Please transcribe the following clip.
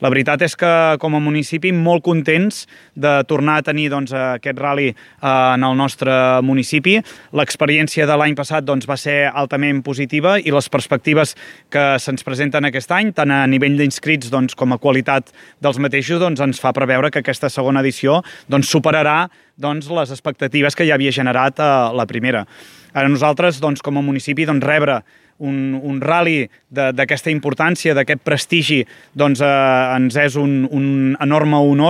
La veritat és que com a municipi molt contents de tornar a tenir aquest ral·li en el nostre municipi. L'experiència de l'any passat va ser altament positiva i les perspectives que se'ns presenten aquest any, tant a nivell d'inscrits com a qualitat dels mateixos, ens fa preveure que aquesta segona edició superarà les expectatives que ja havia generat la primera. A nosaltres, com a municipi, rebre un ral·li d'aquesta importància, d'aquest prestigi, ens és un enorme honor.